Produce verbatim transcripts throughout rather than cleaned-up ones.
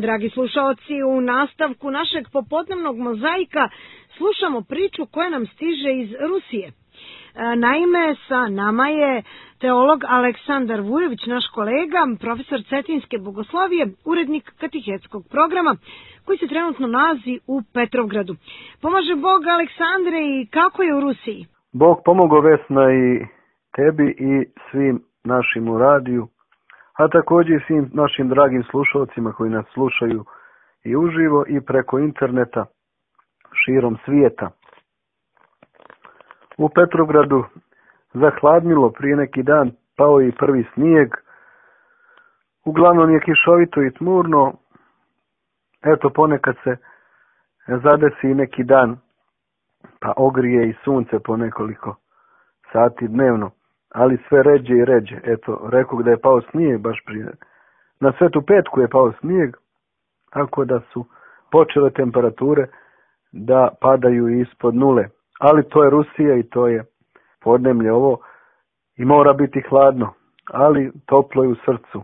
Dragi slušaoci, u nastavku našeg popodnevnog mozaika slušamo priču koja nam stiže iz Rusije. Naime, sa nama je teolog Aleksandar Vujović, naš kolega, profesor Cetinjske bogoslovije, urednik katehetskog programa, koji se trenutno nalazi u Petrovgradu. Pomaže Bog, Aleksandre, i kako je u Rusiji? Bog pomogao, Vesna, i tebi i svim našim u radiju, a također i svim našim dragim slušalcima koji nas slušaju i uživo i preko interneta širom svijeta. U Petrovgradu zahladnilo, prije neki dan pao i prvi snijeg. Uglavnom je kišovito i tmurno. Eto, ponekad se zadesi neki dan, pa ogrije i sunce po nekoliko sati dnevno, ali sve ređe i ređe. Eto, rekao da je pao snijeg baš prije. Na Svetu Petku je pao snijeg, tako da su počele temperature da padaju ispod nule. Ali to je Rusija i to je podneblje ovo i mora biti hladno, ali toplo je u srcu.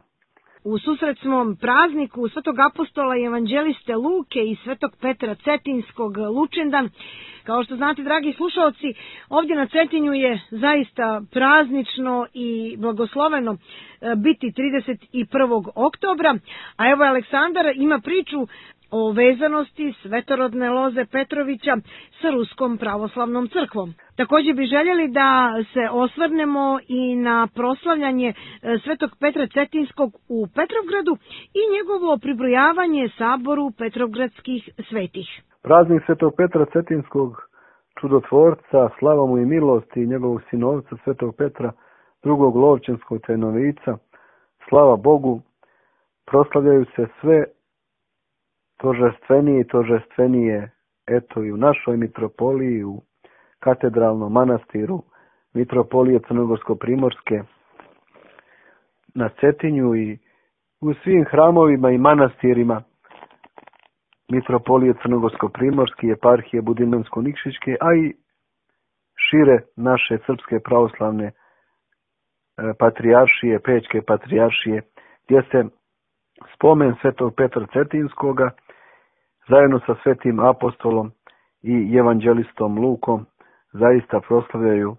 U susret smo prazniku Svetog apostola i evanđeliste Luke i Svetog Petra Cetinjskog Lučendan. Kao što znate, dragi slušalci, ovdje na Cetinju je zaista praznično i blagosloveno biti trideset prvog oktobra, a evo Aleksandar ima priču o vezanosti svetorodne loze Petrovića sa Ruskom pravoslavnom crkvom. Također bi željeli da se osvrnemo i na proslavljanje Svetog Petra Cetinjskog u Petrovgradu i njegovo pribrojavanje saboru Petrovgradskih svetih. Praznik Svetog Petra Cetinjskog, čudotvorca, slava mu i milosti, i njegovog sinovca Svetog Petra, drugog Lovćenskog tajnovica, slava Bogu, proslavljaju se sve tožestvenije i tožestvenije, eto i u našoj mitropoliji, u katedralnom manastiru mitropolije Crnogorsko-primorske na Cetinju i u svim hramovima i manastirima mitropolije Crnogorsko-primorske, eparhije Budimljansko-Nikšićke, a i šire naše srpske pravoslavne patrijaršije, Pećke patrijaršije, gdje se spomen Svetog Petra Cetinjskoga zajedno sa Svetim apostolom i evanđelistom Lukom zaista proslavljaju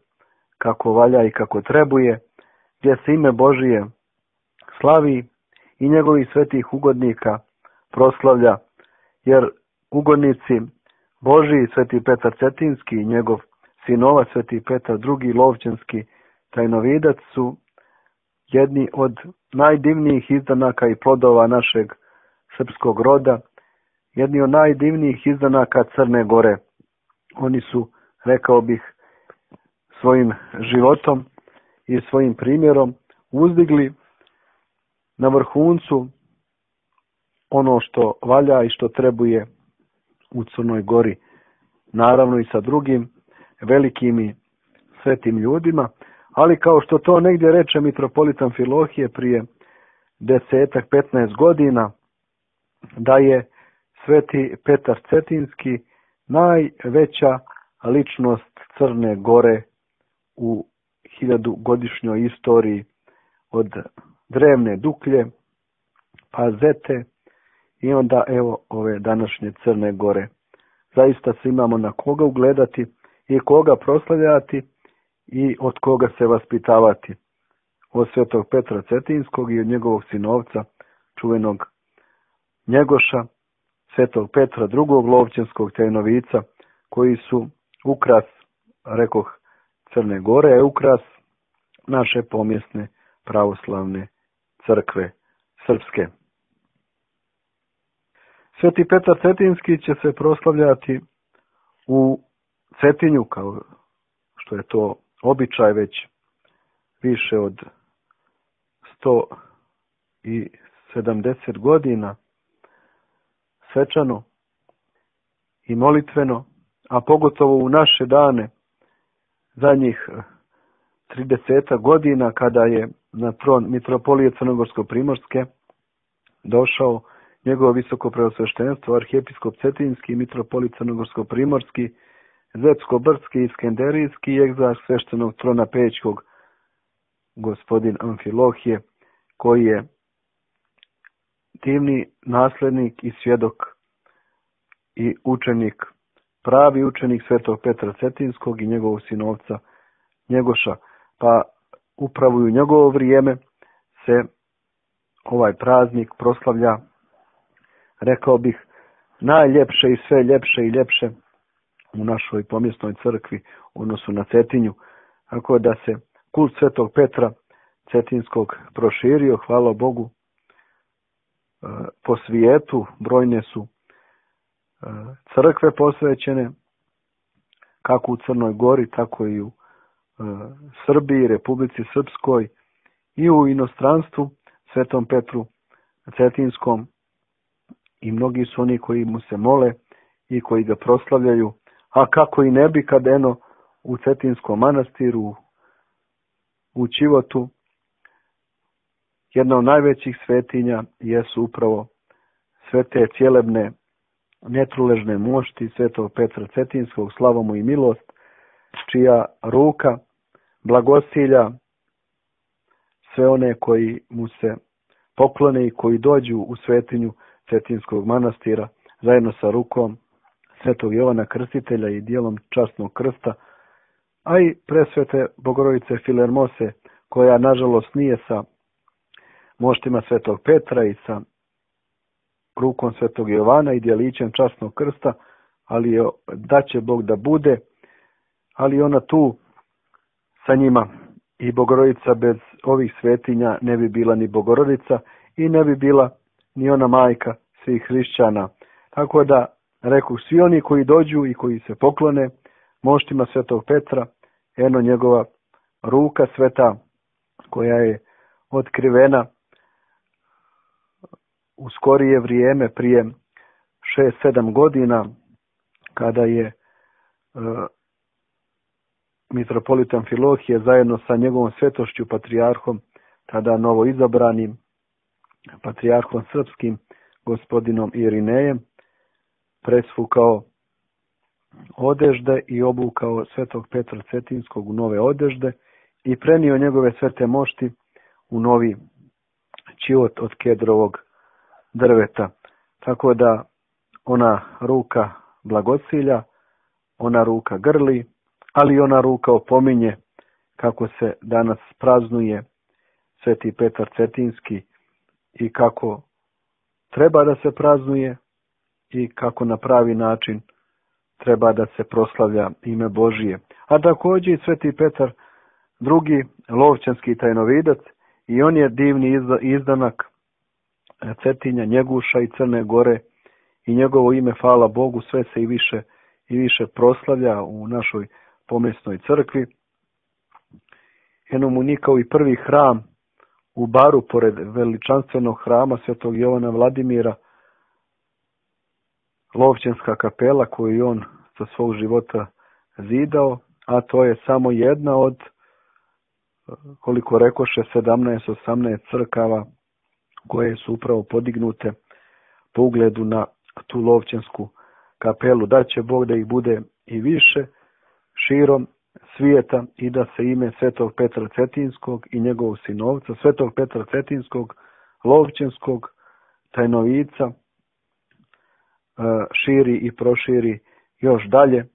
kako valja i kako trebuje, gdje se ime Božije slavi i njegovih svetih ugodnika proslavlja, jer ugodnici Božiji, Sveti Petar Cetinjski i njegov sinova Sveti Petar drugi Lovćenski tajnovidac su jedni od najdivnijih izdanaka i plodova našeg srpskog roda, jedni od najdivnijih izdanaka Crne Gore. Oni su, rekao bih, svojim životom i svojim primjerom uzdigli na vrhuncu ono što valja i što trebuje u Crnoj Gori. Naravno i sa drugim velikim i svetim ljudima, ali kao što to negdje reče mitropolit Amfilohije prije desetak, petnaest godina, da je Sveti Petar Cetinjski najveća ličnost Crne Gore u hiljadugodišnjoj istoriji, od drevne Duklje pa Zete i onda evo ove današnje Crne Gore. Zaista se imamo na koga ugledati i koga proslavljati i od koga se vaspitavati. Od Svetog Petra Cetinjskog i od njegovog sinovca, čuvenog Njegoša, Svetog Petra drugog Lovćenskog tajnovica, koji su ukras, rekoh, Crne Gore, je ukras naše pomjesne pravoslavne crkve srpske. Sveti Petar Cetinjski će se proslavljati u Cetinju, kao što je to običaj već više od sto sedamdeset godina, svečano i molitveno, a pogotovo u naše dane, zadnjih trideset godina, kada je na tron mitropolije Crnogorsko-primorske došao njegovo visoko preosveštenstvo, arhijepiskop Cetinjski, mitropolit Crnogorsko-primorski, Zetsko-brdski i Skenderijski i egzarh sveštenog trona Pećkog, gospodin Amfilohije, koji je divni naslednik i svjedok i učenik, pravi učenik svetog Petra Cetinskog i njegovog sinovca Njegoša. Pa upravo u njegovo vrijeme se ovaj praznik proslavlja, rekao bih, najljepše i sve ljepše i ljepše u našoj pomjesnoj crkvi u odnosu na Cetinju. Tako da se kult svetog Petra Cetinskog proširio, hvala Bogu, po svijetu. Brojne su crkve posvećene, kako u Crnoj Gori, tako i u Srbiji, Republici Srpskoj i u inostranstvu svetom Petru Cetinskom, i mnogi su oni koji mu se mole i koji ga proslavljaju, a kako i ne bi kad eno u Cetinskom manastiru u Čivotu jedna od najvećih svetinja jesu upravo svete cjelebne netruležne mošti svetog Petra Cetinskog, slava mu i milost, čija ruka blagosilja sve one koji mu se poklone i koji dođu u svetinju Cetinskog manastira zajedno sa rukom svetog Jovana Krstitelja i dijelom časnog krsta, a i presvete Bogorodice Filermose, koja nažalost nije sa moštima svetog Petra i sa rukom svetog Jovana i dijelićem časnog krsta, ali je, da će Bog da bude, ali ona tu sa njima. I Bogorodica bez ovih svetinja ne bi bila ni Bogorodica i ne bi bila ni ona majka svih hrišćana. Tako da, rekoh, svi oni koji dođu i koji se poklone moštima svetog Petra, eno njegova ruka sveta koja je otkrivena u skorije vrijeme, prije šest sedam godina, kada je uh, mitropolit Amfilohije zajedno sa njegovom svetošću patrijarhom, tada novo izabranim patrijarhom srpskim, gospodinom Irinejem, presvukao odežde i obukao svetog Petra Cetinskog u nove odežde i prenio njegove svete mošti u novi čivot od kedrovog drveta. Tako da ona ruka blagosilja, ona ruka grli, ali ona ruka opominje kako se danas praznuje sveti Petar Cetinski i kako treba da se praznuje i kako na pravi način treba da se proslavlja ime Božije. A također i sveti Petar drugi, lovćanski tajnovidac, i on je divni izdanak Cetinja, Njeguša i Crne Gore, i njegovo ime, hvala Bogu, sve se i više i više proslavlja u našoj pomjesnoj crkvi. Eno mu ni kao i prvi hram u Baru, pored veličanstvenog hrama svetog Jovana Vladimira, Lovćanska kapela koju je on za svog života zidao, a to je samo jedna od, koliko rekoše, sedamnaest osamnaest crkava koje su upravo podignute po ugledu na tu Lovćansku kapelu. Da će Bog da ih bude i više širom svijeta i da se ime svetog Petra Cetinskog i njegovog sinovca, svetog Petra Cetinskog, Lovćanskog tajnovica, širi i proširi još dalje,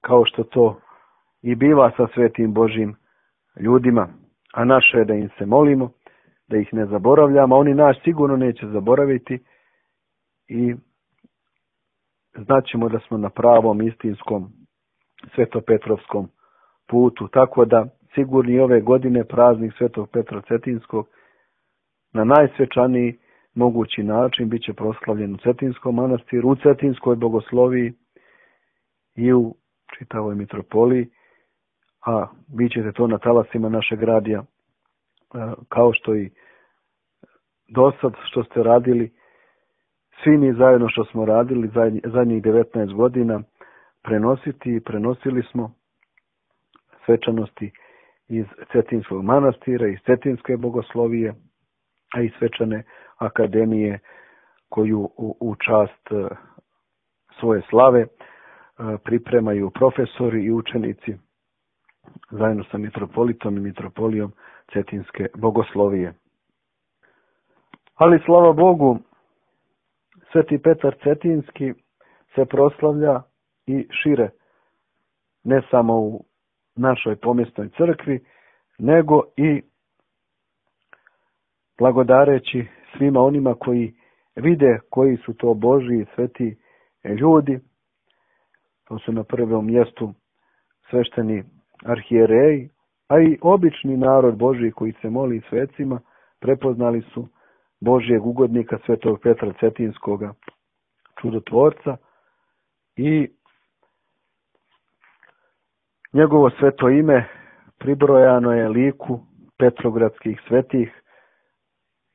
kao što to i biva sa svetim Božjim ljudima. A naše je da im se molimo, da ih ne zaboravljamo, a oni nas sigurno neće zaboraviti i znaćemo da smo na pravom, istinskom, svetopetrovskom putu. Tako da sigurni ove godine praznik svetog Petra Cetinskog na najsvečaniji mogući način bit će proslavljen u Cetinskom manastiru, u Cetinskoj bogosloviji i u čitavoj mitropoliji, a vi ćete to na talasima našeg radija, kao što i dosad što ste radili, svi mi zajedno što smo radili zadnjih devetnaest godina, prenositi i prenosili smo svečanosti iz Cetinskog manastira, iz Cetinske bogoslovije, a i svečane akademije koju u, u čast svoje slave pripremaju profesori i učenici zajedno sa mitropolitom i mitropolijom Cetinske bogoslovije. Ali slava Bogu, Sveti Petar Cetinski se proslavlja i šire, ne samo u našoj pomjesnoj crkvi, nego i blagodareći svima onima koji vide koji su to Božji i sveti ljudi. To su na prvom mjestu svešteni arhijereji, a i obični narod Božji koji se moli svecima, prepoznali su Božjeg ugodnika Svetog Petra Cetinskoga, čudotvorca, i njegovo sveto ime pribrojano je liku petrogradskih svetih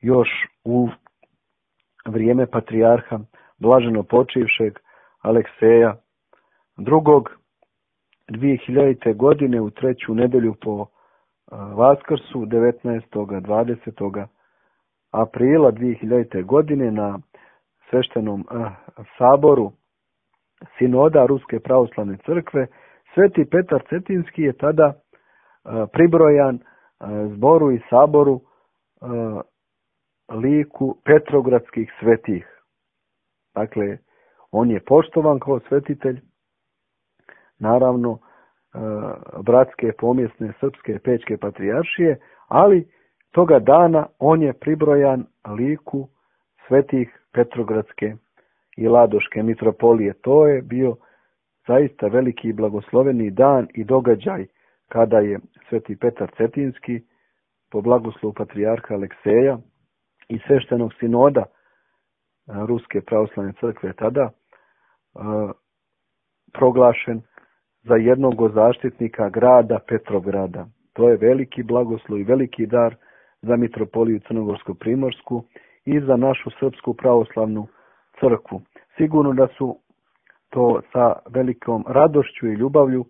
još u vrijeme patrijarha blaženopočivšeg Alekseja drugog. dvije hiljadite. godine u treću nedelju po Vaskrsu, devetnaestog dvadesetog aprila dvije hiljadite. godine na sveštenom saboru Sinoda Ruske pravoslavne crkve, Sveti Petar Cetinski je tada pribrojan zboru i saboru liku petrogradskih svetih. Dakle, on je poštovan kao svetitelj, naravno bratske pomjesne srpske pečke patrijaršije, ali toga dana on je pribrojan liku svetih petrogradske i ladoške mitropolije. To je bio zaista veliki i blagosloveni dan i događaj kada je Sveti Petar Cetinski po blagoslovu patrijarha Alekseja i sveštenog sinoda Ruske pravoslavne crkve tada proglašen za jednog od zaštitnika grada Petrograda. To je veliki blagoslov i veliki dar za mitropoliju Crnogorsko-primorsku i za našu Srpsku pravoslavnu crkvu. Sigurno da su to sa velikom radošću i ljubavlju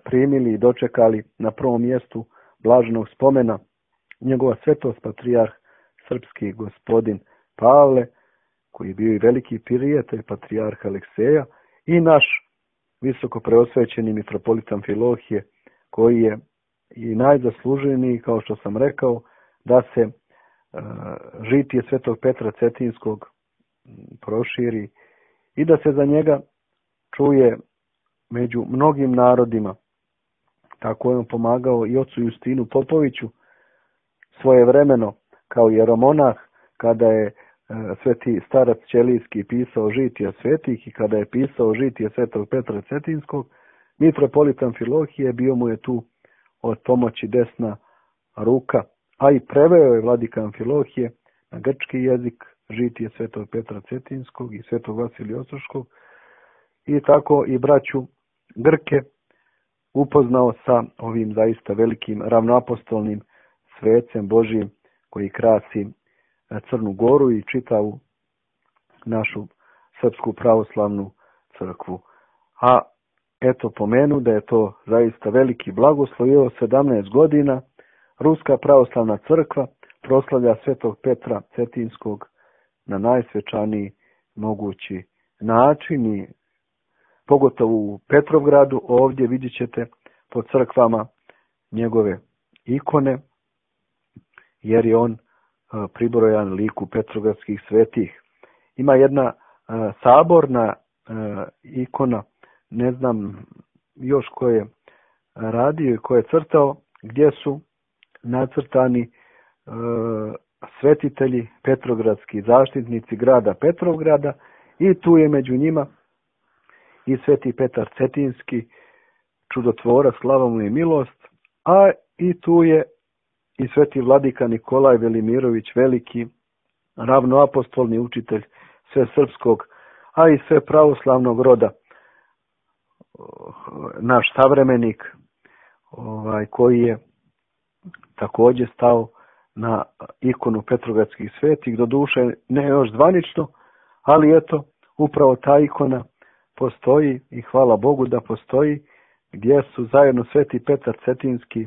primili i dočekali na prvom mjestu blaženog spomena njegova svetost patrijarh srpski gospodin Pavle, koji je bio i veliki prijatelj patrijarha Alekseja, i naš visoko preosvećeni mitropolit Amfilohije, koji je i najzasluženiji, kao što sam rekao, da se uh, žitije Svetog Petra Cetinskog proširi i da se za njega čuje među mnogim narodima. Tako je on pomagao i ocu Justinu Popoviću svojevremeno kao jeromonah, kada je sveti starac Ćelijski pisao žitija svetih i kada je pisao žitije Svetog Petra Cetinskog, mitropolit Amfilohije bio mu je tu od pomoći desna ruka, a i preveo je vladika Amfilohije na grčki jezik žitije Svetog Petra Cetinskog i Svetog Vasilija Ostroškog, i tako i braću Grke upoznao sa ovim zaista velikim ravnoapostolnim svecem Božijim koji krasi Crnu Goru i čitavu našu Srpsku pravoslavnu crkvu. A eto pomenu da je to zaista veliki blagoslov. I ovo sedamnaest godina Ruska pravoslavna crkva proslavlja Svetog Petra Cetinskog na najsvečaniji mogući način, i pogotovo u Petrovgradu ovdje vidjet ćete po crkvama njegove ikone, jer je on pribrojan liku petrogradskih svetih. Ima jedna a, saborna a, ikona, ne znam još ko je radio i ko je crtao, gdje su nacrtani a, svetitelji petrogradski, zaštitnici grada Petrovgrada, i tu je među njima i Sveti Petar Cetinski, čudotvorac, slava mu i milost, a i tu je i sveti vladika Nikolaj Velimirović, veliki ravnoapostolni učitelj sve srpskog, a i sve pravoslavnog roda, naš savremenik, ovaj, koji je također stao na ikonu petrogradskih svetih, doduše ne još zvanično, ali eto, upravo ta ikona postoji i hvala Bogu da postoji, gdje su zajedno Sveti Petar Cetinski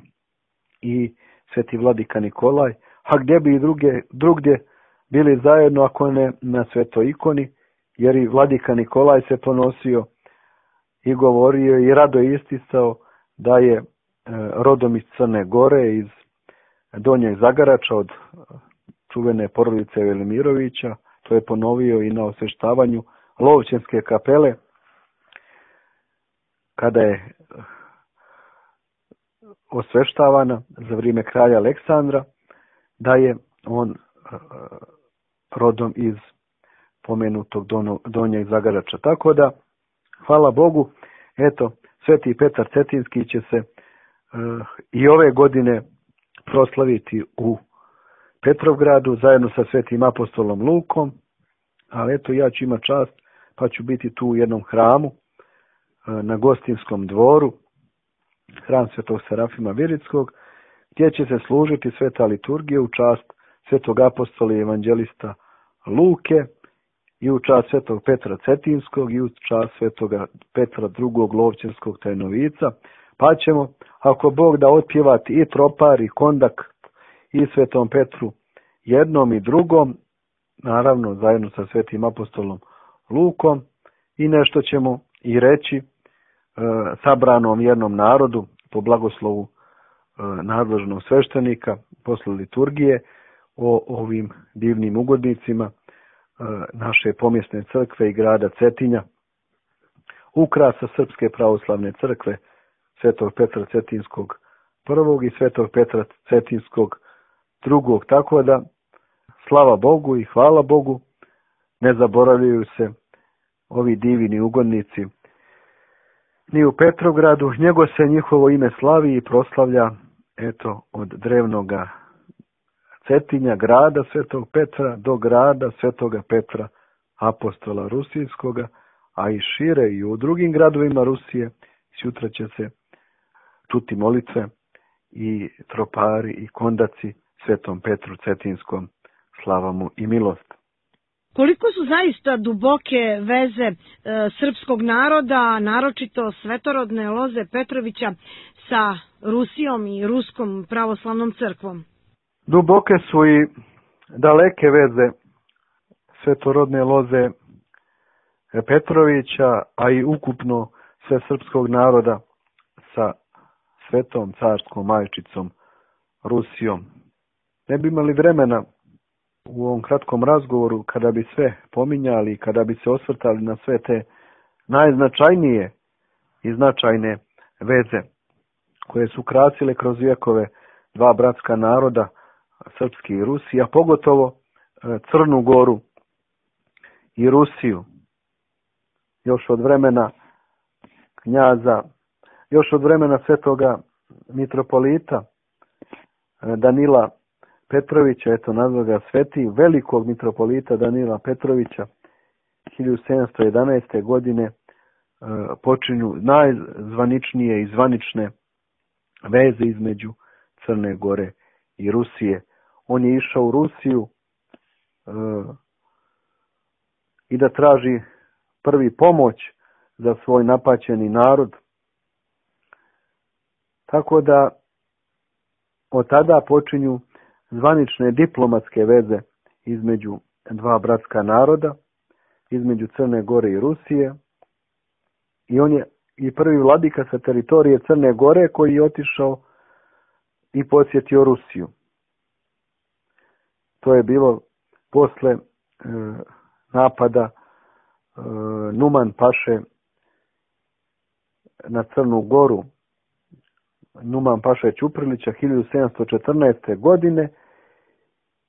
i Sveti vladika Nikolaj, a gdje bi i druge, drugdje bili zajedno ako ne na svetoj ikoni, jer i vladika Nikolaj se ponosio i govorio i rado isticao da je e, rodom iz Crne Gore, iz Donjeg Zagarača, od čuvene porodice Velimirovića. To je ponovio i na osveštavanju Lovćenske kapele, kada je osveštavana za vrijeme kralja Aleksandra, da je on rodom iz pomenutog Donjeg Zagarača. Tako da, hvala Bogu, eto, Sveti Petar Cetinski će se uh, i ove godine proslaviti u Petrovgradu zajedno sa Svetim apostolom Lukom, ali eto, ja ću imati čast pa ću biti tu u jednom hramu uh, na Gostinskom dvoru, hram Svetog Serafima Viritskog, gdje će se služiti sveta liturgija u čast Svetog apostola i evanđelista Luke i u čast Svetog Petra Cetinskog i u čast Svetoga Petra drugog Lovćenskog tajnovica, pa ćemo, ako Bog da, otpjevati i tropar i kondak i Svetom Petru jednom i drugom, naravno zajedno sa Svetim apostolom Lukom, i nešto ćemo i reći e, sabranom jednom narodu po blagoslovu e, nadležnog sveštenika posle liturgije o ovim divnim ugodnicima e, naše pomjesne crkve i grada Cetinja, ukrasa Srpske pravoslavne crkve Svetog Petra Cetinskog prvog i Svetog Petra Cetinskog drugog. Tako da, slava Bogu i hvala Bogu, ne zaboravljaju se ovi divini ugodnici ni u Petrovgradu, nego se njihovo ime slavi i proslavlja, eto, od drevnoga Cetinja, grada Svetog Petra, do grada Svetoga Petra apostola Rusijskoga, a i šire i u drugim gradovima Rusije sutra će se čuti molitve i tropari i kondaci Svetom Petru Cetinskom, slava mu i milost. Koliko su zaista duboke veze e, srpskog naroda, naročito svetorodne Loze Petrovića, sa Rusijom i Ruskom pravoslavnom crkvom? Duboke su i daleke veze svetorodne Loze Petrovića, a i ukupno sve srpskog naroda sa Svetom carskom majčicom Rusijom. Ne bi imali vremena u ovom kratkom razgovoru, kada bi sve pominjali, kada bi se osvrtali na sve te najznačajnije i značajne veze koje su krasile kroz vjekove dva bratska naroda, srpski i Rusi, a pogotovo Crnu Goru i Rusiju. Još od vremena knjaza, još od vremena svetoga mitropolita Danila Petrovića, eto nazva ga sveti, velikog mitropolita Danila Petrovića, hiljadu sedamsto jedanaeste. godine počinju najzvaničnije i zvanične veze između Crne Gore i Rusije. On je išao u Rusiju uh, i da traži prvi pomoć za svoj napaćeni narod. Tako da od tada počinju zvanične diplomatske veze između dva bratska naroda, između Crne Gore i Rusije. I on je i prvi vladika sa teritorije Crne Gore koji je otišao i posjetio Rusiju. To je bilo posle e, napada e, Numan Paše na Crnu Goru, Numan Paša Ćuprilića hiljadu sedamsto četrnaeste. godine,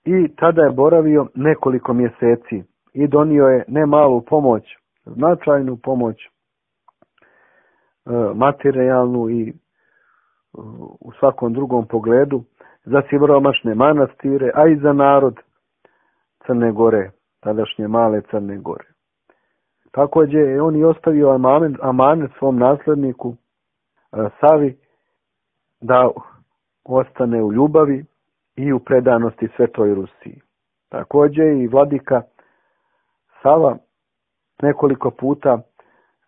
i tada je boravio nekoliko mjeseci i donio je ne malu pomoć, značajnu pomoć, e, materijalnu i u svakom drugom pogledu za siromašne manastire, a i za narod Crne Gore, tadašnje male Crne Gore. Također je on i ostavio amanet, amanet svom nasledniku Savi da ostane u ljubavi i u predanosti Svetoj Rusiji. Također i vladika Sava nekoliko puta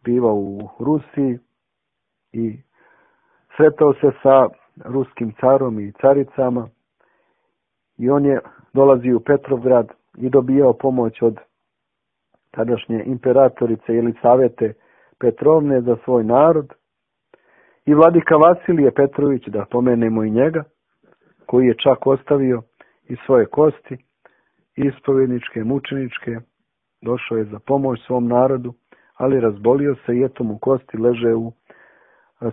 biva u Rusiji i sretao se sa ruskim carom i caricama, i on je dolazio u Petrovgrad i dobijao pomoć od tadašnje imperatorice Jelisavete Petrovne za svoj narod. I vladika Vasilije Petrović, da pomenemo i njega, koji je čak ostavio i svoje kosti ispovjedničke, mučeničke, došao je za pomoć svom narodu, ali razbolio se i eto mu kosti leže u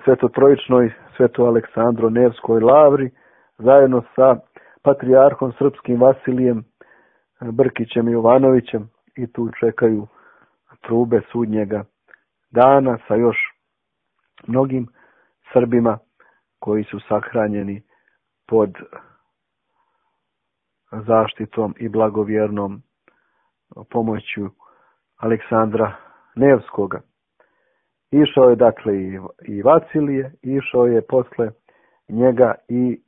Svetotrojičnoj Sveto Aleksandro Nevskoj lavri, zajedno sa patrijarhom srpskim Vasilijem Brkićem i Jovanovićem, i tu čekaju trube sudnjega dana sa još mnogim Srbima koji su sahranjeni pod zaštitom i blagovjernom pomoću Aleksandra Nevskoga. Išao je dakle i, i Vasilije, išao je posle njega i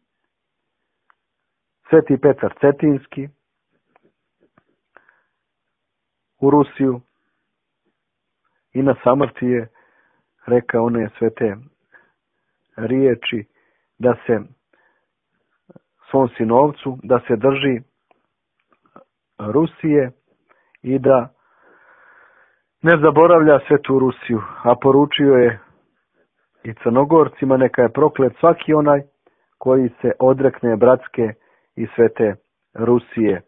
Sveti Petar Cetinski u Rusiju i na samrti je rekao one svete riječi da se svom sinovcu da se drži Rusije i da ne zaboravlja svetu Rusiju, a poručio je i Crnogorcima neka je proklet svaki onaj koji se odrekne bratske i svete Rusije.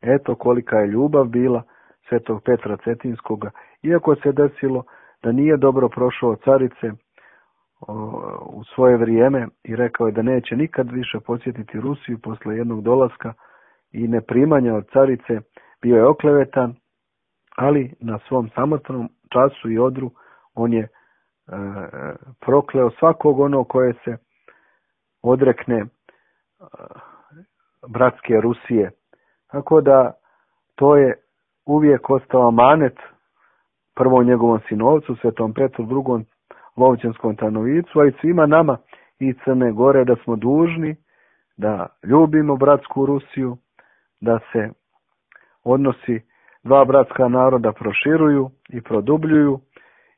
Eto kolika je ljubav bila Svetog Petra Cetinskoga, iako se desilo da nije dobro prošao carice u svoje vrijeme i rekao je da neće nikad više posjetiti Rusiju posle jednog dolaska i neprimanja od carice, bio je oklevetan, ali na svom samotnom času i odru on je e, prokleo svakog onog koje se odrekne e, bratske Rusije. Tako da to je uvijek ostao amanet prvom njegovom sinovcu, Svetom Petru, drugom Lovćenskom Trnovicu, a i svima nama i Crne Gore, da smo dužni da ljubimo bratsku Rusiju, da se odnosi dva bratska naroda proširuju i produbljuju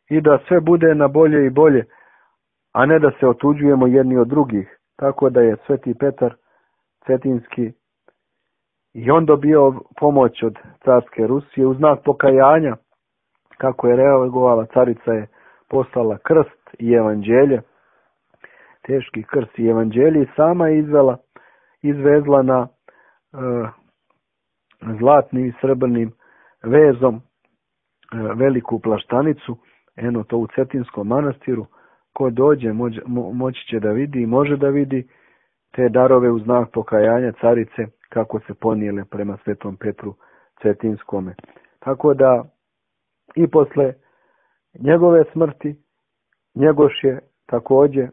i da sve bude na bolje i bolje, a ne da se otuđujemo jedni od drugih. Tako da je Sveti Petar Cetinski i on dobio pomoć od carske Rusije u znak pokajanja, kako je reagovala carica, je poslala krst i evanđelje, teški krst i evanđelje, i sama je izvela, izvezla na e, zlatnim i srebrnim vezom e, veliku plaštanicu, eno to u Cetinskom manastiru. Ko dođe moć, mo, moći će da vidi i može da vidi te darove u znak pokajanja carice kako se ponijele prema Svetom Petru Cetinskome. Tako da i posle njegove smrti Njegoš je također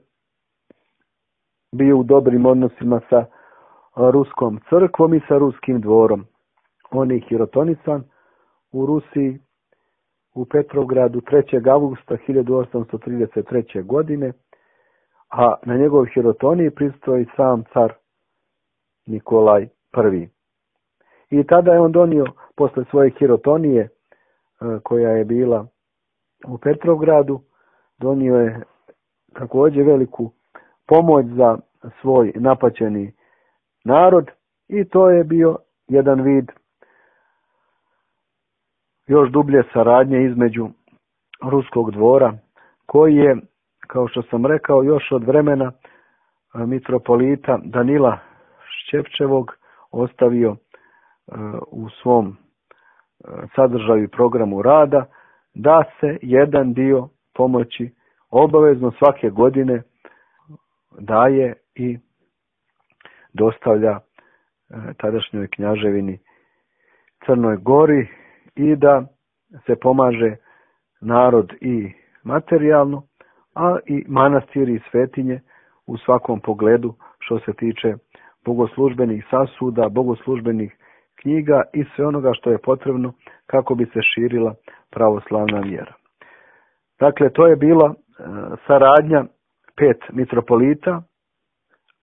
bio u dobrim odnosima sa ruskom crkvom i sa ruskim dvorom. On je hirotonisan u Rusiji u Petrovgradu trećeg avgusta hiljadu osamsto trideset treće. godine, a na njegov hirotoniji prisustvovao i sam car Nikolaj prvi. I tada je on donio, posle svoje hirotonije koja je bila u Petrovgradu, donio je također veliku pomoć za svoj napaćeni narod, i to je bio jedan vid još dublje saradnje između ruskog dvora, koji je, kao što sam rekao, još od vremena mitropolita Danila Šćepčevog ostavio u svom sadržaju i programu rada da se jedan dio pomoći obavezno svake godine daje i dostavlja tadašnjoj knjaževini Crnoj Gori i da se pomaže narod i materijalno, a i manastiri i svetinje u svakom pogledu što se tiče bogoslužbenih sasuda, bogoslužbenih knjiga i sve onoga što je potrebno kako bi se širila pravoslavna vjera. Dakle, to je bila saradnja pet mitropolita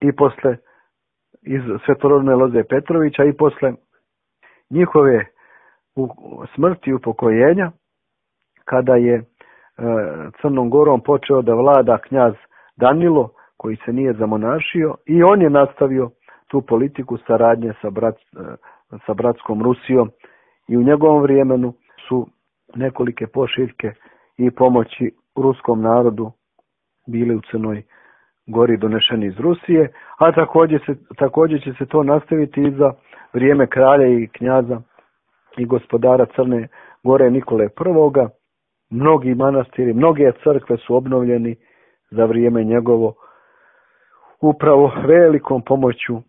i posle iz Svetorodne Loze Petrovića i posle njihove smrti i upokojenja, kada je Crnom Gorom počeo da vlada knjaz Danilo, koji se nije zamonašio, i on je nastavio tu politiku saradnje sa, brat, sa bratskom Rusijom, i u njegovom vremenu su nekolike pošiljke i pomoći ruskom narodu bili u Crnoj Gori donešeni iz Rusije, a također, se, također će se to nastaviti i za vrijeme kralja i knjaza i gospodara Crne Gore Nikole Prvoga. Mnogi manastiri, mnoge crkve su obnovljeni za vrijeme njegovo upravo velikom pomoću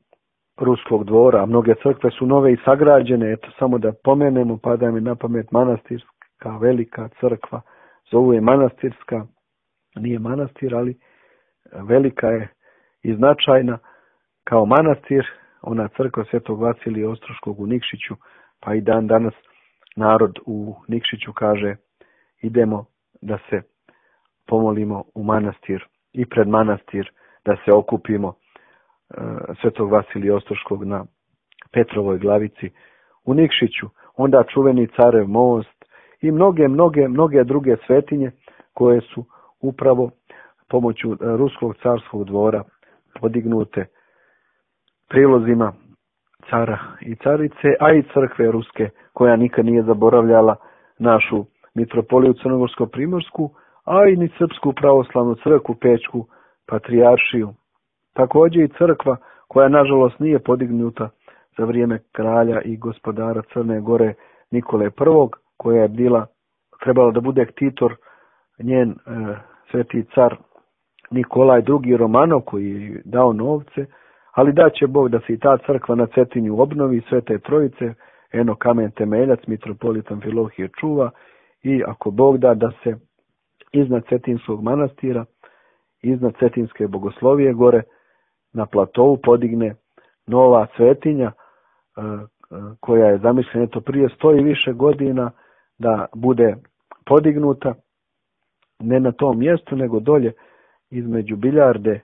ruskog dvora. Mnoge crkve su nove i sagrađene. Eto, samo da pomenemo, pada mi na pamet manastirska velika crkva. Zovu je manastirska, nije manastir, ali velika je i značajna kao manastir. Ona crkva Svetog Vasilija Ostroškog u Nikšiću, pa i dan danas narod u Nikšiću kaže idemo da se pomolimo u manastir i pred manastir, da se okupimo Svetog Vasilija Ostroškog na Petrovoj glavici u Nikšiću. Onda čuveni Carev most i mnoge, mnoge, mnoge druge svetinje koje su upravo pomoću ruskog carskog dvora podignute prilozima cara i carice, a i crkve ruske koja nikad nije zaboravljala našu mitropoliju Crnogorsko-primorsku, a i ni Srpsku pravoslavnu crkvu, Pećku patrijaršiju. Također i crkva koja nažalost nije podignuta za vrijeme kralja i gospodara Crne Gore Nikole Prvog, koja je bila, trebala da bude ktitor njen e, sveti car Nikolaj drugi Romanov, koji je dao novce, ali da će Bog da se i ta crkva na Cetinju obnovi, Svete Trojice, eno kamen temeljac, mitropolit Amfilohije čuva, i ako Bog da da se iznad Cetinskog manastira, iznad Cetinske bogoslovije gore na platovu podigne nova svetinja koja je zamišljena eto prije sto i više godina da bude podignuta ne na tom mjestu nego dolje između Biljarde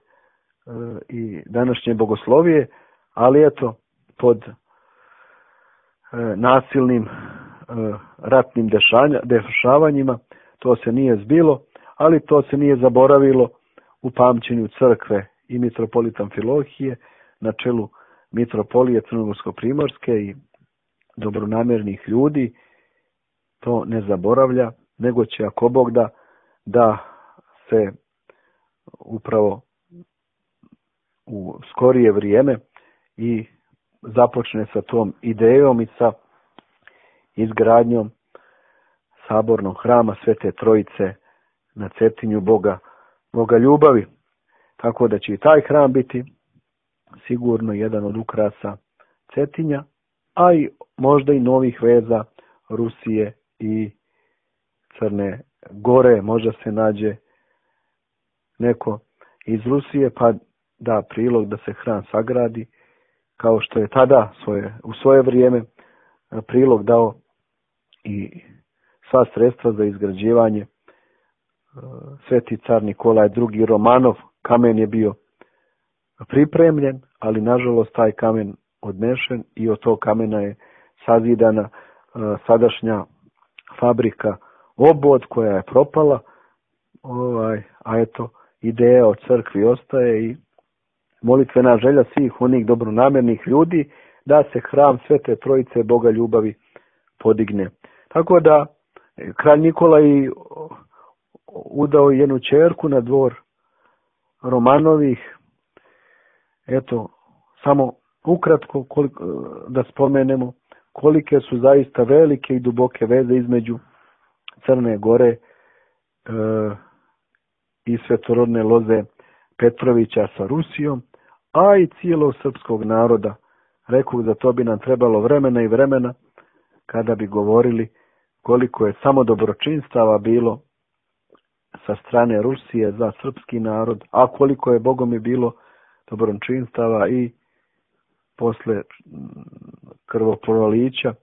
i današnje bogoslovije, ali eto pod nasilnim ratnim dešavanjima to se nije zbilo, ali to se nije zaboravilo u pamćenju crkve i mitropolita Amfilohije na čelu mitropolije Crnogorsko-primorske i dobronamjernih ljudi. To ne zaboravlja, nego će ako Bog da da se upravo u skorije vrijeme i započne sa tom idejom i sa izgradnjom sabornog hrama Svete Trojice na Cetinju Boga, Boga ljubavi. Tako da će i taj hram biti sigurno jedan od ukrasa Cetinja, a i možda i novih veza Rusije i Crne Gore. Možda se nađe neko iz Rusije pa da prilog da se hram sagradi, kao što je tada svoje, u svoje vrijeme prilog dao i sva sredstva za izgrađivanje sveti car Nikolaj drugi Romanov. Kamen je bio pripremljen, ali nažalost taj kamen odnešen i od tog kamena je sazidana sadašnja fabrika Obod koja je propala, ovaj, a eto ideja o crkvi ostaje i molitvena želja svih onih dobronamjernih ljudi da se hram Svete Trojice Boga ljubavi podigne. Tako da kralj Nikolaj udao jednu ćerku na dvor Romanovih. Eto, samo ukratko koliko, da spomenemo kolike su zaista velike i duboke veze između Crne Gore e, i svetorodne loze Petrovića sa Rusijom, a i cijelog srpskog naroda. Rekao da to bi nam trebalo vremena i vremena kada bi govorili koliko je samo dobročinstava bilo sa strane Rusije za srpski narod, a koliko je Bogom je bilo dobročinstava i posle krvoprolića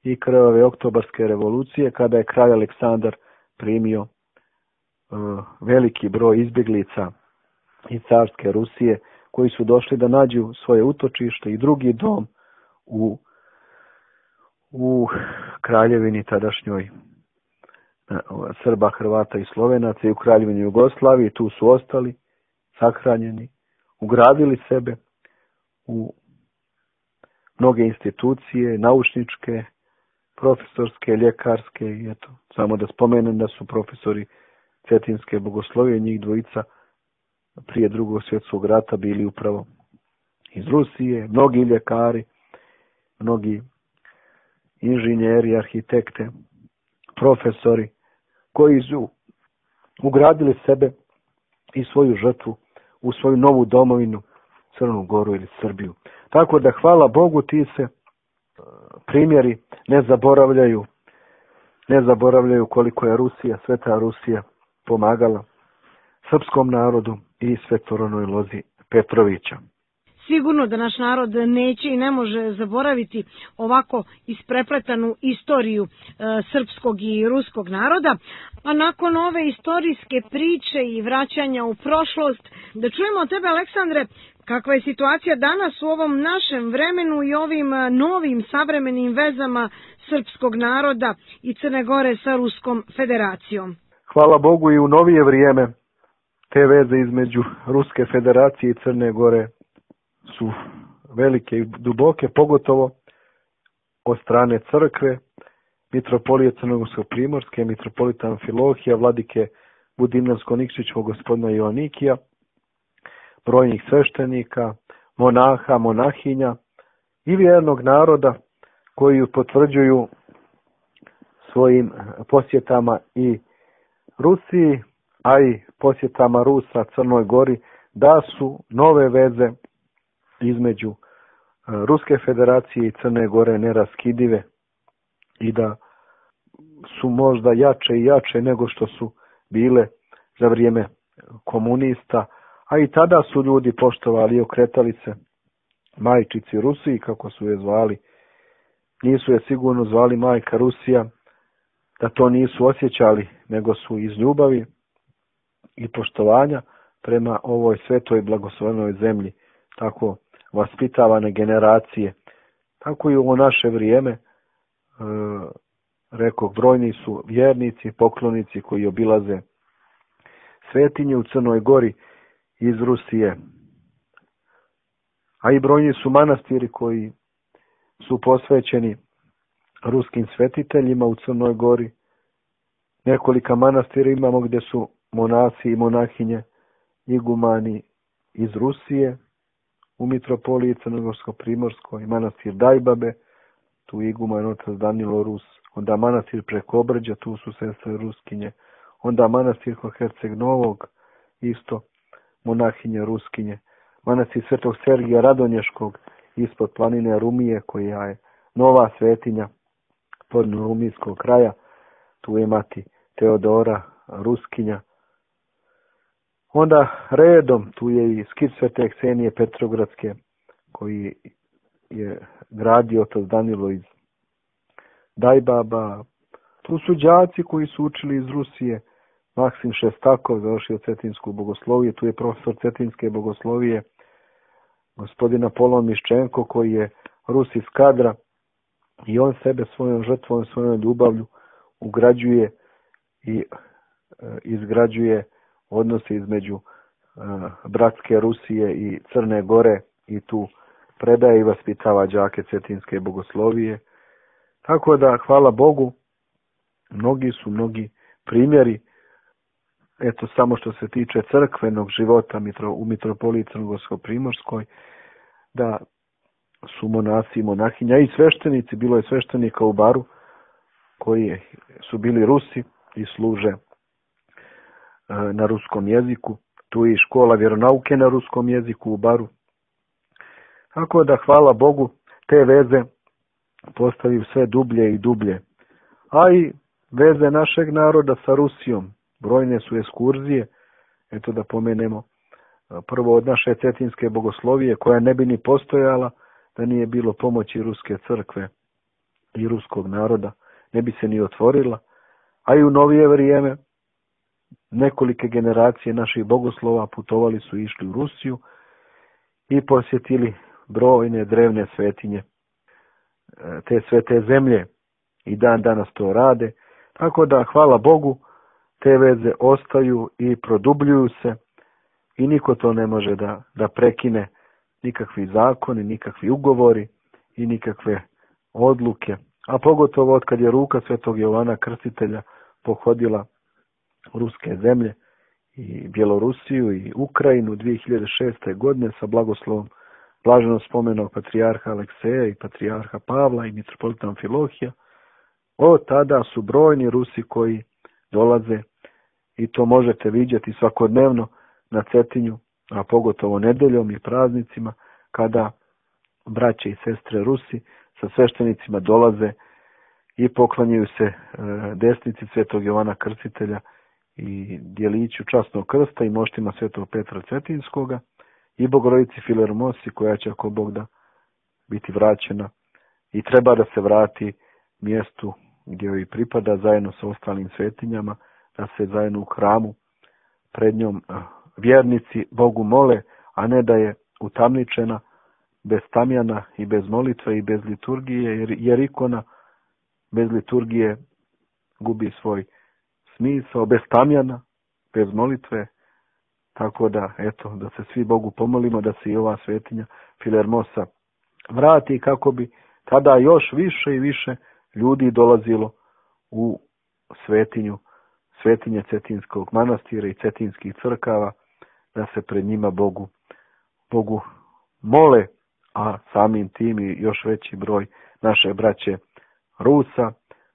i krvave oktobarske revolucije, kada je kralj Aleksandar primio uh, veliki broj izbjeglica iz carske Rusije, koji su došli da nađu svoje utočište i drugi dom u, u kraljevini tadašnjoj Srba, Hrvata i Slovenaca i u kraljevini Jugoslaviji. Tu su ostali sahranjeni, ugradili sebe u mnoge institucije, naučničke, profesorske, ljekarske i eto, samo da spomenem da su profesori Cetinske bogoslovije, njih dvojica prije drugog svjetskog rata bili upravo iz Rusije, mnogi ljekari, mnogi inženjeri, arhitekte, profesori koji su ugradili sebe i svoju žrtvu u svoju novu domovinu, Crnu Goru ili Srbiju. Tako da hvala Bogu ti se primjeri ne zaboravljaju, ne zaboravljaju koliko je Rusija, Sveta Rusija pomagala srpskom narodu i Svetoranoj lozi Petrovića. Sigurno da naš narod neće i ne može zaboraviti ovako isprepletanu istoriju e, srpskog i ruskog naroda, a nakon ove istorijske priče i vraćanja u prošlost, da čujemo od tebe, Aleksandre, kakva je situacija danas u ovom našem vremenu i ovim novim savremenim vezama srpskog naroda i Crne Gore sa Ruskom federacijom. Hvala Bogu i u novije vrijeme te veze između Ruske federacije i Crne Gore su velike i duboke, pogotovo od strane crkve, mitropolije Crnogorsko-primorske, mitropolita Amfilohija, vladike Budimljansko-Nikšićevog gospodina Joanikija, brojnih sveštenika, monaha, monahinja i vjernog naroda koji potvrđuju svojim posjetama i Rusiji, a i posjetama Rusa Crnoj Gori, da su nove veze između Ruske federacije i Crne Gore neraskidive i da su možda jače i jače nego što su bile za vrijeme komunista, a i tada su ljudi poštovali i okretali se majčici Rusiji, kako su je zvali. Nisu je sigurno zvali majka Rusija, da to nisu osjećali, nego su iz ljubavi i poštovanja prema ovoj svetoj blagoslovenoj zemlji tako vaspitavane generacije. Tako i u naše vrijeme, e, rekao, brojni su vjernici, poklonici koji obilaze svetinje u Crnoj Gori iz Rusije. A i brojni su manastiri koji su posvećeni ruskim svetiteljima u Crnoj Gori. Nekolika manastira imamo gdje su monasi i monahinje, igumani iz Rusije, u mitropoliji Crnogorsko-primorskoj, manastir Dajbabe, tu iguman otac Danilo Rus, onda manastir preko Obrđa, tu su sestre Ruskinje, onda manastir kod Herceg Novog, isto monahinje Ruskinje, manastir Svetog Sergija Radonješkog, ispod planine Rumije, koja je nova svetinja pod Rumijskog kraja, tu je mati Teodora Ruskinja. Onda redom tu je i skit Svete Ksenije Petrogradske, koji je gradio otac Danilo iz Dajbaba. Tu su đaci koji su učili iz Rusije, Maksim Šestakov, završio Cetinsku bogosloviju, tu je profesor Cetinske bogoslovije, gospodina Polon Miščenko, koji je Rus iz Kadra, i on sebe svojom žrtvom, svojom ljubavlju ugrađuje i e, izgrađuje odnose između e, bratske Rusije i Crne Gore i tu predaje i vaspitava đake Cetinske bogoslovije. Tako da, hvala Bogu, mnogi su mnogi primjeri, eto samo što se tiče crkvenog života u mitropoliji Crnogorsko-primorskoj, da su monasi i monahinja i sveštenici, bilo je sveštenika u Baru koji su bili Rusi i služe na ruskom jeziku. Tu je i škola vjeronauke na ruskom jeziku u Baru. Tako da, hvala Bogu, te veze postaju sve dublje i dublje. A i veze našeg naroda sa Rusijom. Brojne su ekskurzije. Eto da pomenemo prvo od naše Cetinske bogoslovije, koja ne bi ni postojala da nije bilo pomoći Ruske crkve i ruskog naroda. Ne bi se ni otvorila. A i u novije vrijeme nekolike generacije naših bogoslova putovali su i išli u Rusiju i posjetili brojne drevne svetinje te svete zemlje i dan danas to rade. Tako da, hvala Bogu, te veze ostaju i produbljuju se i niko to ne može da, da prekine, nikakvi zakoni, nikakvi ugovori i nikakve odluke. A pogotovo od kad je ruka Svetog Jovana Krstitelja pohodila ruske zemlje i Bjelorusiju i Ukrajinu dvije hiljade šeste. godine sa blagoslovom blaženo spomenog patrijarha Alekseja i patrijarha Pavla i mitropolita Amfilohija, od tada su brojni Rusi koji dolaze i to možete vidjeti svakodnevno na Cetinju, a pogotovo nedeljom i praznicima, kada braće i sestre Rusi sa sveštenicima dolaze i poklanjaju se desnici Svetog Jovana Krstitelja i djeliću časnog krsta i moštima Svetog Petra Cetinskoga i Bogorodici Filermosi, koja će, ako Bog da, biti vraćena i treba da se vrati mjestu gdje joj pripada zajedno sa ostalim svetinjama, da se zajedno u hramu pred njom vjernici Bogu mole, a ne da je utamničena, bez tamjana i bez molitve i bez liturgije, jer, jer ikona bez liturgije gubi svoj smisao, bez tamjana, bez molitve. Tako da, eto, da se svi Bogu pomolimo da se i ova svetinja Filermosa vrati, kako bi tada još više i više ljudi dolazilo u svetinju, svetinje Cetinskog manastira i cetinskih crkava, da se pred njima Bogu, Bogu mole, a samim tim i još veći broj naše braće Rusa,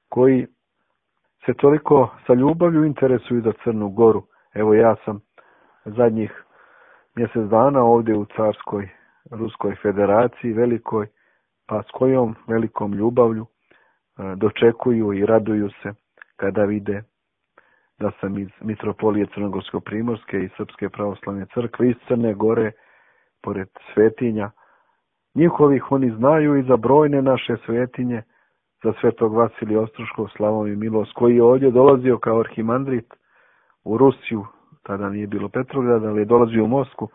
koji se toliko sa ljubavlju interesuju za Crnu Goru. Evo, ja sam zadnjih mjesec dana ovdje u Carskoj Ruskoj Federaciji velikoj, pa s kojom velikom ljubavlju dočekuju i raduju se kada vide da sam iz Mitropolije Crnogorsko-Primorske i Srpske pravoslavne crkve iz Crne Gore, pored svetinja njihovih, oni znaju i za brojne naše svetinje, za Svetog Vasilija Ostroškog, Slavom i Milost, koji je ovdje dolazio kao arhimandrit u Rusiju, tada nije bilo Petrograda, ali je dolazio u Moskvu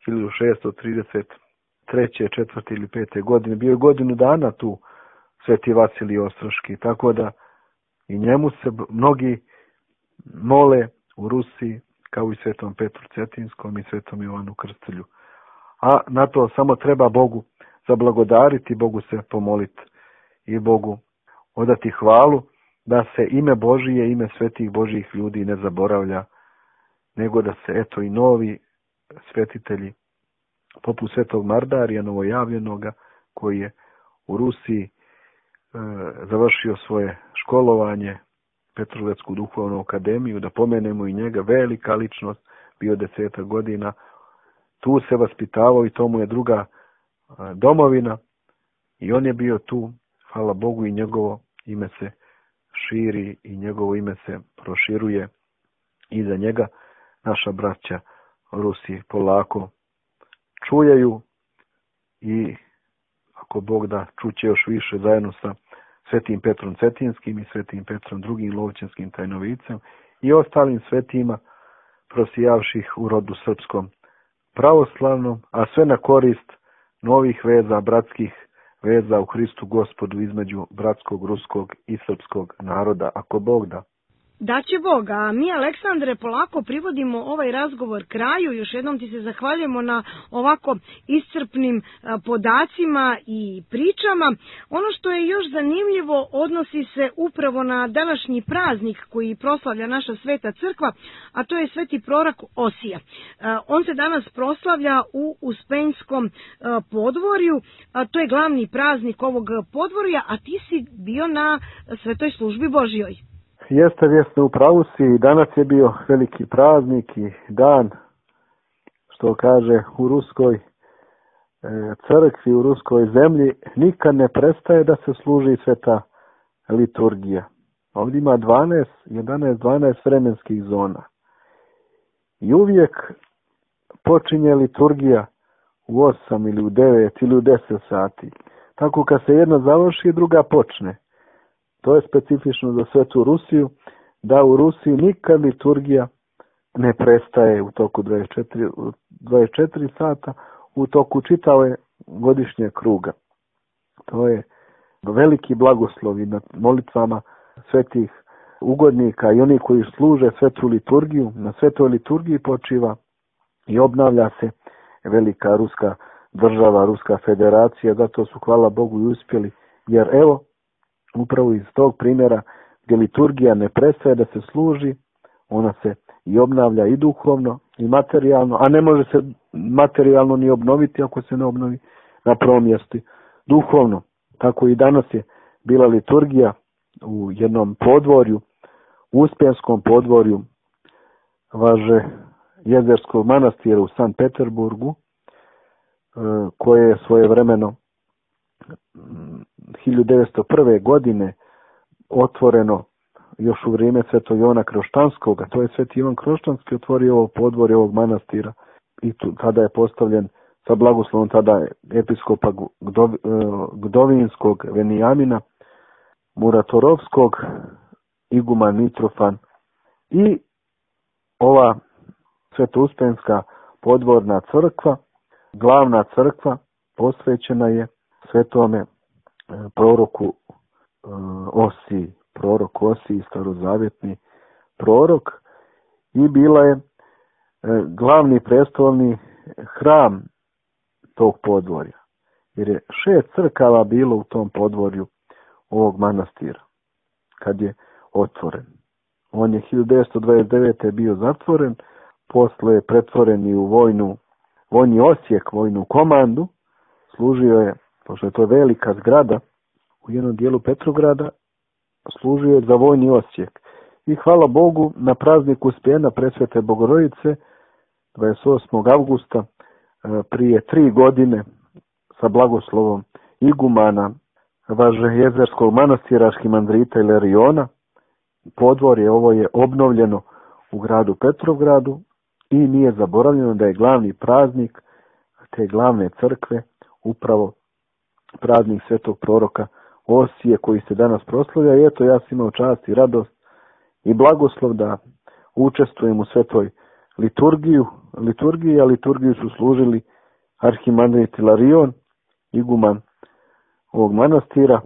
hiljadu šeststo trideset treće, četvrte ili pete godine. Bio je godinu dana tu Sveti Vasilij Ostroški, tako da i njemu se mnogi mole u Rusiji, kao i Svetom Petru Cetinskom i Svetom Jovanu Krstitelju. A na to samo treba Bogu zablagodariti, Bogu se pomoliti i Bogu odati hvalu, da se ime Božije, ime svetih Božjih ljudi ne zaboravlja, nego da se eto i novi svetitelji, poput Svetog Mardarija novojavljenoga, koji je u Rusiji e, završio svoje školovanje, Petrogradsku duhovnu akademiju, da pomenemo i njega, velika ličnost, bio desetak godina, tu se vaspitavao i to mu je druga a, domovina i on je bio tu, hvala Bogu, i njegovo ime se širi i njegovo ime se proširuje i za njega naša braća Rusi polako čujaju i ako Bog da, čuće još više zajedno sa Svetim Petrom Cetinskim i Svetim Petrom drugim Lovćenskim tajnovicem i ostalim svetima prosijavših u rodu srpskom pravoslavnom, a sve na korist novih veza, bratskih veza u Hristu Gospodu između bratskog, ruskog i srpskog naroda, ako Bog da. Da će Bog, a mi, Aleksandre, polako privodimo ovaj razgovor kraju. Još jednom ti se zahvaljujemo na ovako iscrpnim podacima i pričama. Ono što je još zanimljivo odnosi se upravo na današnji praznik koji proslavlja naša Sveta Crkva, a to je Sveti prorok Osija. On se danas proslavlja u Uspenjskom podvorju, a to je glavni praznik ovog podvorja, a ti si bio na Svetoj službi Božjoj. Jeste, jeste, u pravu si. Danas je bio veliki praznik i dan, što kaže u ruskoj crkvi, u ruskoj zemlji, nikad ne prestaje da se služi sveta liturgija. Ovdje ima dvanaest, jedanaest, dvanaest vremenskih zona. I uvijek počinje liturgija u osam ili u devet ili u deset sati. Tako kad se jedna završi, druga počne. To je specifično za svetu Rusiju, da u Rusiji nikad liturgija ne prestaje u toku dvadeset četiri, dvadeset četiri sata, u toku čitave godišnje kruga. To je veliki blagoslovi nad molitvama svetih ugodnika i oni koji služe svetu liturgiju. Na svetoj liturgiji počiva i obnavlja se velika ruska država, Ruska Federacija, zato su, hvala Bogu, i uspjeli, jer evo, upravo iz tog primjera gdje liturgija ne prestaje da se služi, ona se i obnavlja i duhovno i materijalno, a ne može se materijalno ni obnoviti ako se ne obnovi na prvom mjestu. Duhovno, tako i danas je bila liturgija u jednom podvorju, Uspenskom podvorju važe Jezerskog manastira u Sankt Peterburgu, koje je svojevremeno hiljadu devetsto prve. godine otvoreno još u vrijeme Svetog Ivana Kroštanskog, a to je Sveti Ivan Kroštanski otvorio ovo podvorje ovog manastira i tu, tada je postavljen sa blagoslovom tada episkopa Gdovinskog Venijamina, Muratorovskog, iguman Mitrofan, i ova Sveto-Uspenska podvorna crkva, glavna crkva, posvećena je svetome proroku Osiji, prorok Osiji, starozavjetni prorok, i bila je glavni prestolni hram tog podvorja. Jer je šest crkava bilo u tom podvorju ovog manastira kad je otvoren. On je hiljadu devetsto dvadeset devete. bio zatvoren, posle je pretvoren i u vojnu, vojni osjek, vojnu komandu. Služio je, pošto je to velika zgrada u jednom dijelu Petrograda, služio je za vojni osjek. I hvala Bogu, na prazniku Uspijena Presvete Bogorodice dvadeset osmog avgusta prije tri godine sa blagoslovom igumana važe Jezerskog manastira arhimandrita Ilariona, podvorje ovo je obnovljeno u gradu Petrovgradu i nije zaboravljeno da je glavni praznik te glavne crkve upravo praznik svetog proroka Osije koji se danas proslavlja. I eto, ja sam imao čast i radost i blagoslov da učestvujem u svetoj liturgiju, liturgiji, a liturgiju su služili arhimandrit Ilarion, iguman ovog manastira,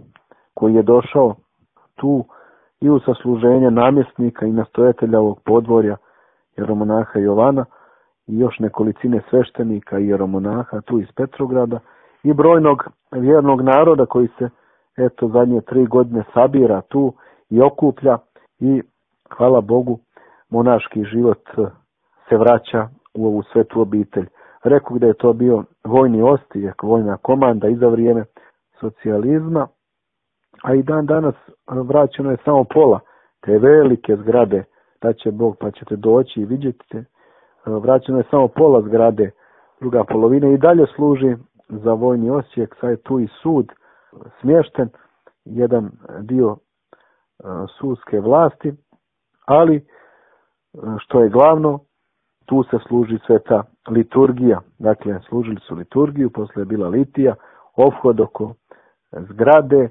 koji je došao tu i u sasluženje namjesnika i nastojatelja ovog podvorja, jeromonaha Jovana, i još nekolicine sveštenika i jeromonaha tu iz Petrograda i brojnog vjernog naroda koji se eto zadnje tri godine sabira tu i okuplja, i hvala Bogu monaški život se vraća u ovu svetu obitelj. Rekao da je to bio vojni ostijek, vojna komanda i za vrijeme socijalizma, a i dan danas vraćeno je samo pola te velike zgrade, da će Bog pa ćete doći i vidjeti, vraćeno je samo pola zgrade, druga polovina i dalje služi za vojni osijek. Sad je tu i sud smješten, jedan dio sudske vlasti, ali što je glavno, tu se služi sveta liturgija. Dakle, služili su liturgiju, posle je bila litija, ophod oko zgrade,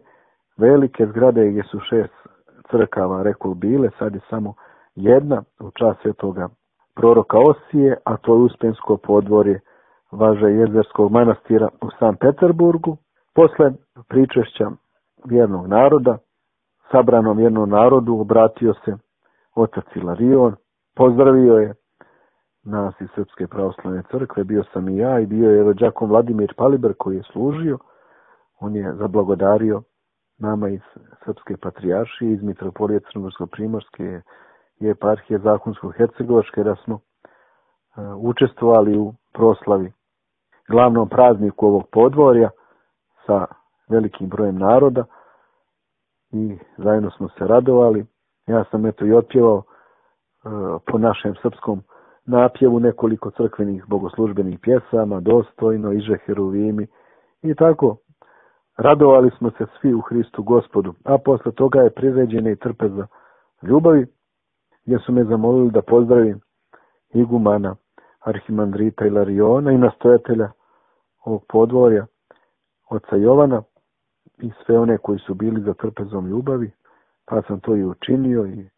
velike zgrade gdje su šest crkava, rekao bile, sad je samo jedna u čast svetoga proroka Osije, a to je Uspensko podvorje važe Jezerskog manastira u Sankt Peterburgu. Posle pričešća vjernog naroda, sabranom vjernom narodu, obratio se otac Ilarion, pozdravio je nas iz Srpske pravoslavne crkve, bio sam i ja i bio je rođakom Vladimir Paliber koji je služio. On je zablagodario nama iz Srpske patrijaršije, iz Mitropolije Crnogorsko-primorske i eparhije Zahumsko-hercegovačke, da smo uh, učestvovali u proslavi glavnom prazniku ovog podvorja sa velikim brojem naroda i zajedno smo se radovali. Ja sam eto i otpjevao uh, po našem srpskom napjevu nekoliko crkvenih bogoslužbenih pjesama, Dostojno, Iže Heruvimi i tako. Radovali smo se svi u Hristu Gospodu, a posle toga je priređena i trpeza ljubavi, gdje su me zamolili da pozdravim igumana arhimandrita Ilariona i nastojatelja ovog podvorja, oca Jovana, i sve one koji su bili za trpezom ljubavi, pa sam to i učinio i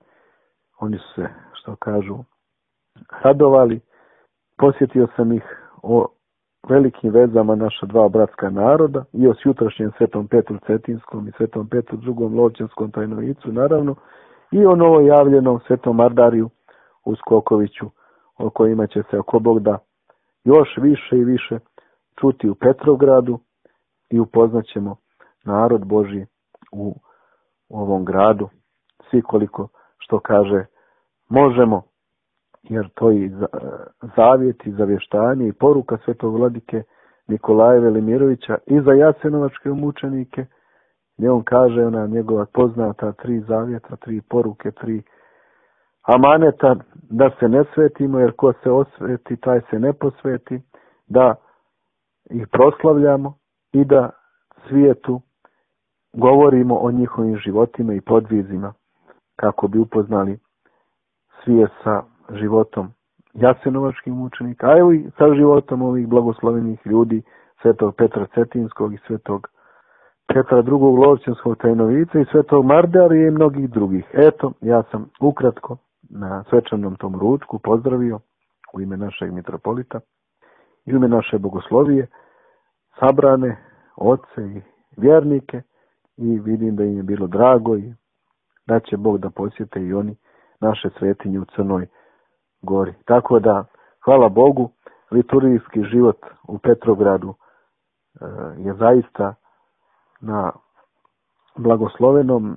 oni su se, što kažu, radovali. Posjetio sam ih o velikim vezama naša dva bratska naroda i o jutrašnjem Svetom Petru Cetinskom i Svetom Petru drugom Lovćanskom tajnovicu, naravno, i o novojavljenom Svetom Mardariju u Skokoviću, o kojima će se ako Bog da još više i više čuti u Petrogradu i upoznaćemo narod Božji u ovom gradu, svi koliko što kaže možemo, jer to i zavjet i zavještanje i poruka Svetog Vladike Nikolaja Velimirovića i za jasenovačke mučenike, gdje on kaže ona njegova poznata tri zavjeta, tri poruke, tri amaneta, da se ne svetimo, jer ko se osveti, taj se ne posveti, da ih proslavljamo i da svijetu govorimo o njihovim životima i podvizima, kako bi upoznali svijet sa životom jasenovačkih mučenika, a evo i sa životom ovih blagoslovenih ljudi, svetog Petra Cetinskog i svetog Petra drugog Lovćenskog Tajnovica i svetog Mardarija i mnogih drugih. Eto, ja sam ukratko na svečanom tom ručku pozdravio u ime našeg mitropolita i u ime naše bogoslovije sabrane oce i vjernike i vidim da im je bilo drago i da će Bog da posjete i oni naše svetinje u Crnoj Gori. Tako da, hvala Bogu, liturgijski život u Petrogradu je zaista na blagoslovenom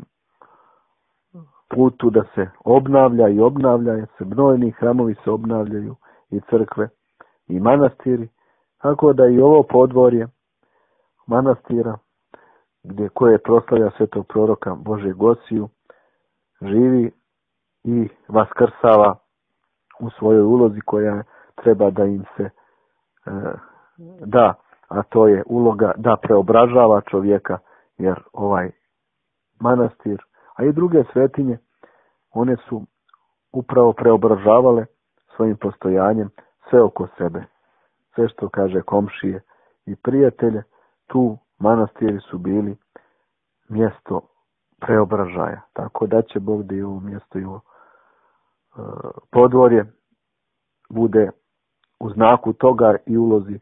putu da se obnavlja i obnavlja, jer se brojni hramovi se obnavljaju i crkve i manastiri, tako da i ovo podvorje manastira gdje koje proslavlja svetog proroka Božeg Gosiju živi i vaskrsava u svojoj ulozi koja treba da im se e, da, a to je uloga da preobražava čovjeka, jer ovaj manastir, a i druge svetinje, one su upravo preobražavale svojim postojanjem sve oko sebe. Sve što kaže komšije i prijatelje, tu manastiri su bili mjesto preobražaja. Tako da će Bog da i ovo mjesto i ovo podvorje bude u znaku toga i ulozi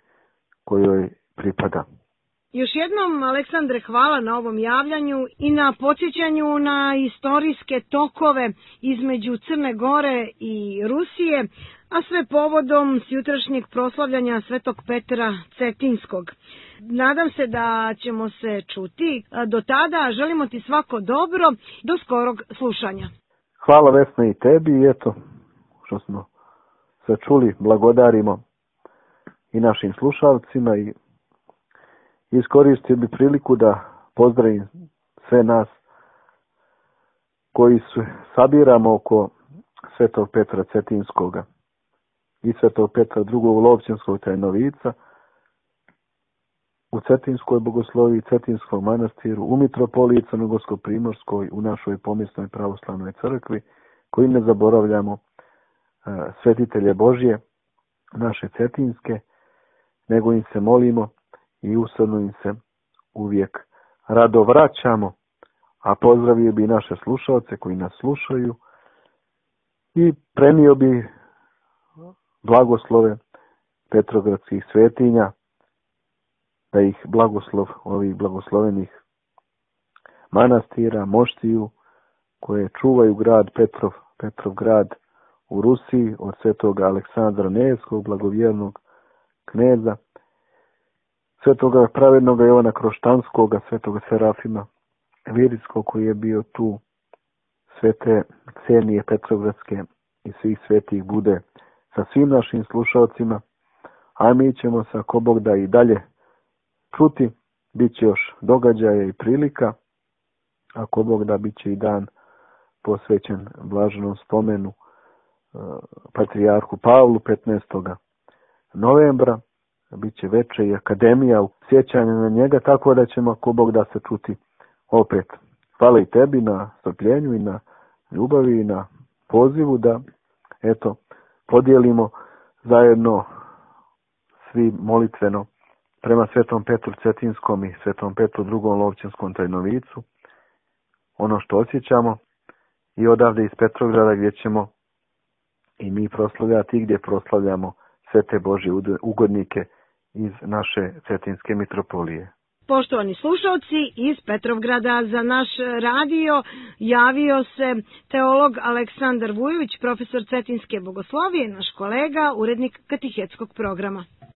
kojoj pripada. Još jednom, Aleksandre, hvala na ovom javljanju i na podsjećanju na istorijske tokove između Crne Gore i Rusije, a sve povodom jutrašnjeg proslavljanja svetog Petra Cetinskog. Nadam se da ćemo se čuti. Do tada želimo ti svako dobro, do skorog slušanja. Hvala Vesna i tebi i eto, što smo se čuli, blagodarimo i našim slušalcima i iskoristio bi priliku da pozdravim sve nas koji se sabiramo oko svetog Petra Cetinskoga i svetog Petra drugog Lovćenskog Tajnovica u Cetinskoj bogosloviji, Cetinskog manastiru, u mitropoliji Crnogorsko-primorskoj, u našoj pomjesnoj pravoslavnoj crkvi, koji ne zaboravljamo svetitelje Božje, naše cetinske, nego im se molimo i usorno im se uvijek rado vraćamo, a pozdravio bi naše slušalce koji nas slušaju i prenio bi blagoslove petrogradskih svetinja, da ih blagoslov ovih blagoslovenih manastira, moštiju, koje čuvaju grad Petrov, Petrov grad u Rusiji, od svetoga Aleksandra Nevskog, blagovjernog kneza, svetoga pravednoga Jovana Kroštanskoga, svetoga Serafima Viritskog koji je bio tu, svete Ksenije Petrogradske i svih svetih bude sa svim našim slušalcima, a mi ćemo se, ako Bog da, i dalje čuti, bit će još događaja i prilika, ako Bog da, bit će i dan posvećen blaženom spomenu patrijarhu Pavlu petnaestog novembra, bit će veče i akademija u sjećanju na njega, tako da ćemo, ako Bog da, se čuti opet. Hvala i tebi na strpljenju i na ljubavi i na pozivu da, eto, podijelimo zajedno svi molitveno prema svetom Petru Cetinskom i svetom Petru drugom Lovćenskom Tajnovicu ono što osjećamo i odavde iz Petrograda gdje ćemo i mi proslavljati i gdje proslavljamo sve te Božje ugodnike iz naše Cetinske mitropolije. Poštovani slušalci, iz Petrovgrada za naš radio javio se teolog Aleksandar Vujović, profesor Cetinske bogoslovije, naš kolega, urednik katehetskog programa.